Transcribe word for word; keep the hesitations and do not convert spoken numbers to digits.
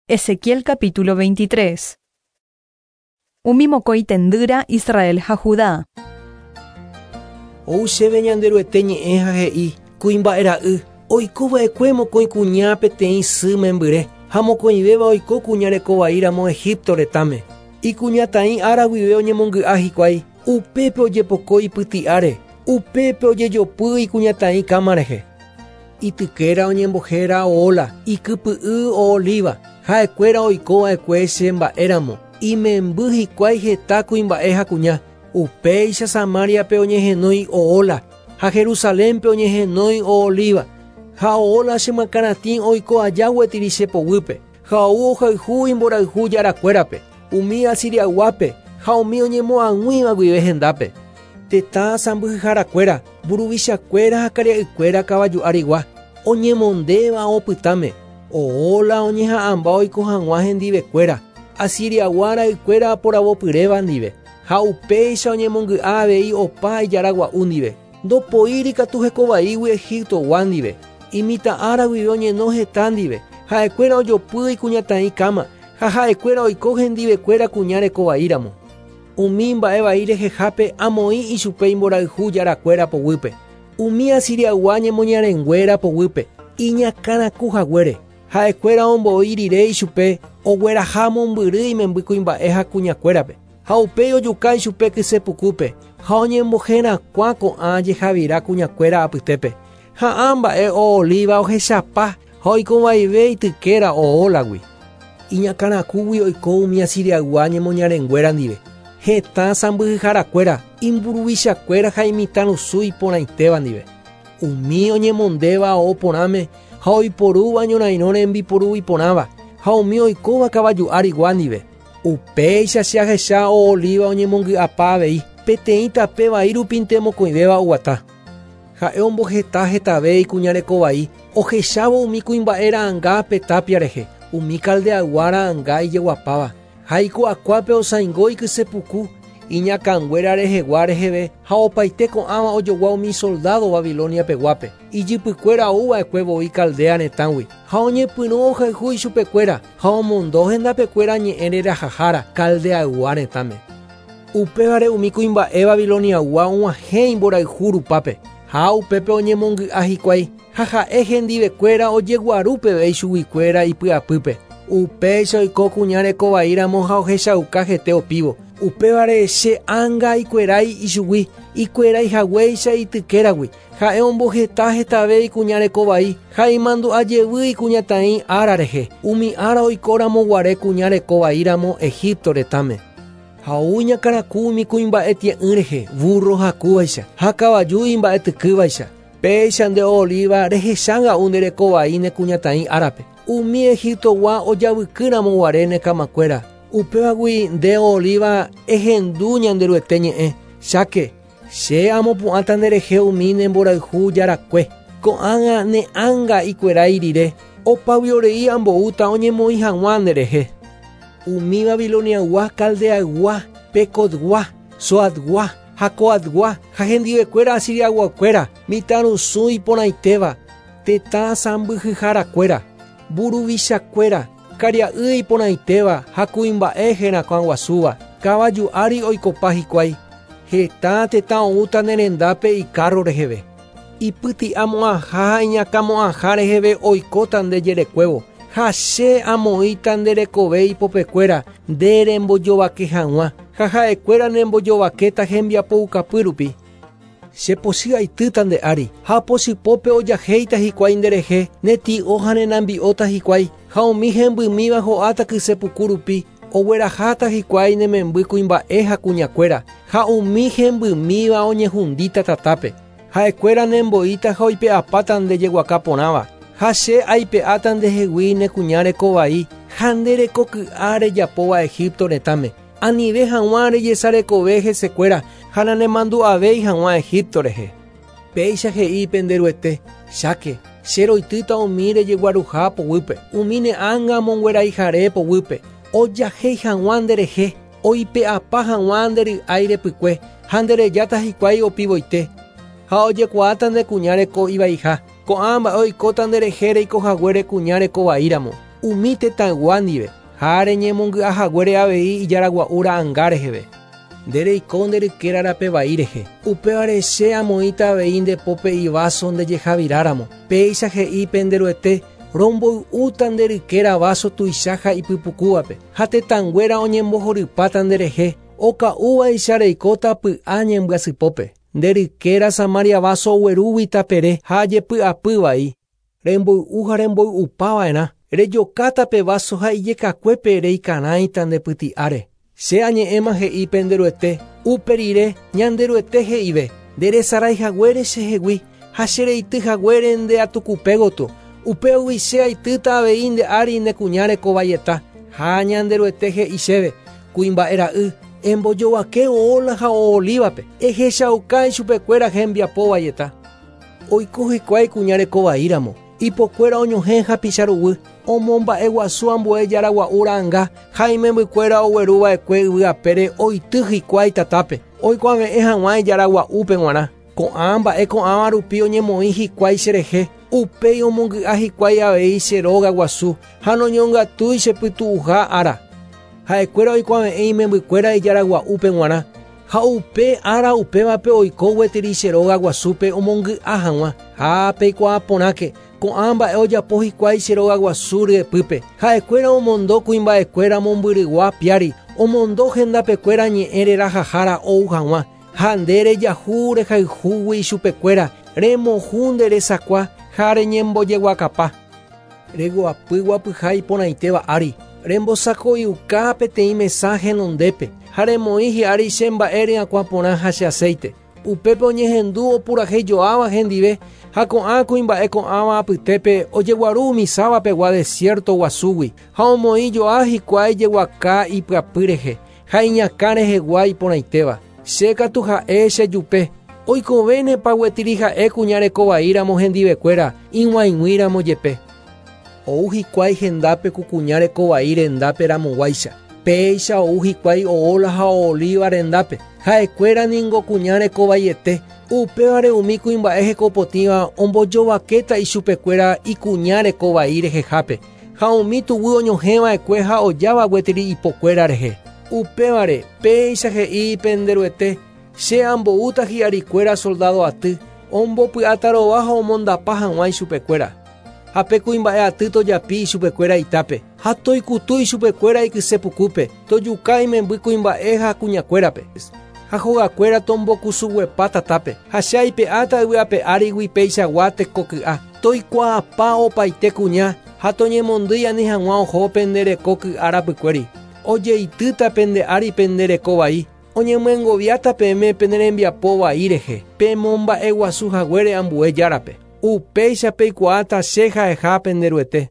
Ezequiel capítulo veintitrés. Umi mokõi tendýra Israel ha Judá. Ou chéve Ñanderuete ñe'ẽ ha he'i kuimba'era'y oikova'ekue mokõi kuña peteĩ sy membyre ha mokõivéva oiko kuña rekovaíramo Egipto retãme. Ikuñataĩ ára guive oñemongy'a hikuái upépe ojepoko ipyti'áre, upépe ojejopy ikuñataĩ káma rehe. Itykéra oñembohéra Oola, ikypy'y Ooliva, ha'ekuéra oikova'ekue che mba'éramo, imemby hikuái heta kuimba'e ha kuña. Upéicha Samariape oñehenói Oola, ha Jerusalénpe oñehenói Ooliva. Ha Oola chemyakãratĩ oiko aja gueteri che poguýpe, ha ou ohayhu imborayhu jarakuérape, umi Asiriaguápe ha umi oñemoag̃uíva guive hendápe. Tetã sãmbyhyharakuéra, mburuvichakuéra ha karia'ykuéra kavaju arigua, oñemondéva opytáme. Oola oñeha'ãmba oiko hag̃ua hendivekuéra, Asiriagua ra'ykuéra poravopyréva ndive, ha upéicha oñemongy'a avei opa ijaragua'u ndive. Ndopoíri katu hekovaígui Egiptogua ndive, imitã ára guive oñeno heta ndive, ha'ekuéra ojopy ikuñataĩ káma, ha ha'ekuéra oiko hendivekuéra kuña rekovaíramo. Umi mba'evai rehehápe amoĩ ichupe imborayhu jarakuéra poguýpe, umi Asiriagua ñemoñarenguéra poguýpe, iñakãraku haguére. Ha'ekuéra ombo'i rire ichupe ogueraha mombyry imemby kuimba'e ha kuñakuérape, ha upéi ojuka ichupe kysepukúpe, ha oñemboherakuã ko'ã jehavira kuñakuéra apytépe. Ha ã mba'e Ooliva ohechapa ha oikovaive itykéra Oólagui. Iñakãrakúgui oiko umi Asiriaygua ñemoñarenguéra ndive. Hetã sãmbyhyharakuéra, imburuvichakuéra ha imitãrusu iporãitéva ndive. Umi oñemondéva ao porãme ha oiporúva ñorairõ rembiporu iporãva, ha umi oikóva kavaju arigua ndive. Upéicha che ahecha Ooliva oñemongy'apa avei, peteĩ tape vai rupínte mokõivéva oguata. Ha'e omboheta hetave ikuña rekovai, ohechávo umi kuimba'e ra'ãnga pe tapia rehe, umi Caldeaygua ra'ãnga ijeguapáva. Ha iku'akuápe osãingo ikysepuku, iñakãnguéra rehegua reheve ha opaite ko'ãva ojogua umi soldado Babiloniapeguápe. Ijypykuéra ouva'ekue voi Caldea retãgui, ha oñepyrũ ohayhu ichupekuéra ha omondo hendapekuéra ñe'ẽ rerahahára Caldeaygua retãme. Upévare umi kuimba'e Babiloniaygua og̃uahẽ imborayhu rupápe, ha upépe oñemongy'a hikuái, ha ha'e hendivekuéra ojeguaru peve ichuguikuéra ipy'apýpe. Upéicha oiko kuña rekovaíramo ha ohechauka hete opívo. Upévare che ánga ikuerái ichugui, ikuerái haguéicha itykéragui. Ha'e omboheta hetave ikuña rekovai, ha imandu'a jevy ikuñataĩ ára rehe, umi ára oikóramo guare kuña rekovaíramo Egipto retãme. Ha ou iñakãraku umi kuimba'e tie'ỹ rehe, burro hakúvaicha, ha kavaju imba'etykývaicha. Péicha nde Ooliva rehechanga'u nde rekovai ne kuñataĩ árape. Umi Egiptogua ojavykýramo guare ne kamakuéra. Upévagui nde Ooliva ehendu Ñanderuete ñe'ẽ. Cháke, che amopu'ãta nderehe umi ne mborayhu jarakue. Ko'ág̃a ne ánga ikuerái rire, opaviorei amboúta oñemoĩ hag̃ua nderehe. Umi Babiloniaygua, Caldeaygua, Pecodgua, Soadgua, Jacoadgua ha hendivekuéra Asiriaguakuéra, mitãrusu iporãitéva, tetã sãmbyhyharakuéra, mburuvichakuéra, karia'y iporãitéva ha kuimba'e herakuãguasúva, kavaju ári oikopa hikuái. Heta tetã oúta ne rendápe ikárro reheve. Ipyti'amo'ãha ha iñakãmo'ãha reheve oikóta nde jerekuévo, ha che amoĩta nde rekove ipopekuéra nde rembojovake hag̃ua, ha ha'ekuéra nembojovakéta hembiapoukapy rupi. Che pochy aitýta nde ári, ha pochypópe ojahéita hikuái nderehe, ne ti'o ha nenambi'óta hikuái, ha umi hembymíva ho'áta kysepuku rupi, ogueraháta hikuái ne memby kuimba'e ha kuñakuéra, ha umi hembymíva oñehundíta tatápe. Ha'ekuéra nemboíta ha oipe'apáta nde jeguaka porãva, ha che aipe'áta ndehegui ne kuña rekovai ha nde rekoky'a rejapóva Egipto retãme. Anive hag̃ua rejesarekove hesekuéra ha nanemandu'avéi hag̃ua Egipto rehe. Péicha he'i Penderuete, cháke, che roitýta umi rejeguaruha poguýpe, umi ne ánga mongueraihare poguýpe, ojahéi hag̃ua nderehe, oipe'apa hag̃ua nde ry'ái repykue, ha nderejáta hikuái opivoite. Ha ojekuaáta nde kuña reko ivaiha, ko'ã mba'e oikóta nderehe reiko haguére kuña rekovaíramo. umi tetãygua ndive ha reñemongy'a haguére avei ijaragua'u ra'ãnga reheve. Nde reiko nde rykéra rape vai rehe. Upévare che amoĩta avei nde pópe iváso ndejehaviráramo. Péicha he'i pende Ruete romboy'úta nde rykéra váso tuicha ha ipypukúvape ha tetãnguéra oñembohorypáta nderehe oka'úvaicha reikóta py'a ñembyasypópe. Nde rykéra Samaria váso oguerúgui tapere ha jepy'apy vai. Remboy'u ha remboy'upava'erã. Rejokáta pe váso ha ijekakuépe reikarãita nde pyti'áre. Che añe'ẽma he'i pende Ruete, upe rire ñande Ruete he'ive, nderesarái haguére chehegui ha chereity haguére nde atukupégotyo. Upégui che aitýta avei nde ári nde kuña rekovaieta. Ha ñande Ruete he'i chéve, kuimba'e ra'y, embojovake oola ha oolívape, ehechauka ichupekuéra hembiapo vaieta. Oiko hikuái kuña rekovaíramo, ipokuéra oñohẽ hapicha ruguy, omomba'eguasu ambue jaragua'u ra'ãnga ha imembykuéra ogueruva'ekue yvy apére oity hikuái tatápe, oikuave'ẽ hag̃ua ijaragua'úpe g̃uarã. Ko'ã mba'e ko'ãva rupi oñemoĩ hikuái cherehe, upéi omongy'a hikuái avei che róga guasu ha noñongatúi chepytu'uha ára. Ha'ekuéra oikuave'ẽ imembykuéra ijaragua'úpe g̃uarã ha upe ára upévape oiko gueteri che róga guasúpe omongy'a hag̃ua. Ha peikuaa porãke ko'ã mba'e ojapo hikuái che róga guasu ryepýpe. Ha'ekuéra omondo kuimba'ekuéra mombyrygua piári, omondo hendapekuéra ñe'ẽ rerahahára ou hag̃ua. Ha nde rejahu rehayhúgui ichupekuéra, remohu nde resakua ha reñembojeguakapa. Reguapy guapyha iporãitéva ári, rembosako'iuka peteĩ mesa henondépe ha remoĩ hi'ári che mba'e ryakuã porã ha che aceite. Upépe oñehendu opurahéijoáva hendive ha ko'ã kuimba'e ko'ãva apytépe ojeguaru umi sávapegua desierto guasúgui ha omoĩjoa hikuái jeguaka ipyapy rehe ha iñakã rehegua iporãitéva. Che katu ha'e chejupe, oikovénepa gueteri ha'e kuña rekovaíramo hendivekuéra ig̃uaig̃uíramo jepe. Ou hikuái hendápe ku kuña rekovai rendápe ramoguáicha. Péicha ou hikuái oola ha oolíva rendápe. Ha'ekuéra ningo kuña rekovaiete. Upévare umi kuimba'e hekopotĩva ombojovakéta ichupekuéra ikuña rekovai rehehápe ha umi tuguy oñohẽva'ekue ha ojáva gueteri ipokuéra rehe. Upévare péicha he'i pende Ruete, che amboúta hi'arikuéra soldado aty, ombopy'atarova ha omondapa hag̃ua ichupekuéra. Ha pe kuimba'e aty tojapi ichupekuéra itápe, ha toikutu ichupekuéra ikysepukúpe, tojuka imemby kuimba'e ha kuñakuérape. Ha hogakuéra tombokusuguepa tatápe, ha che aipe'áta yvy ape árigui peichagua tekoky'a, toikuaapa opaite kuña ha toñemondýi ani hag̃ua oho pende reko ky'a rapykuéri. Ojeitýta pende ári pende reko vai, oñemyengoviáta peẽme pene rembiapo vai rehe, pemomba'eguasu haguére ambue járape. Upéicha peikuaáta che ha'eha pende Ruete.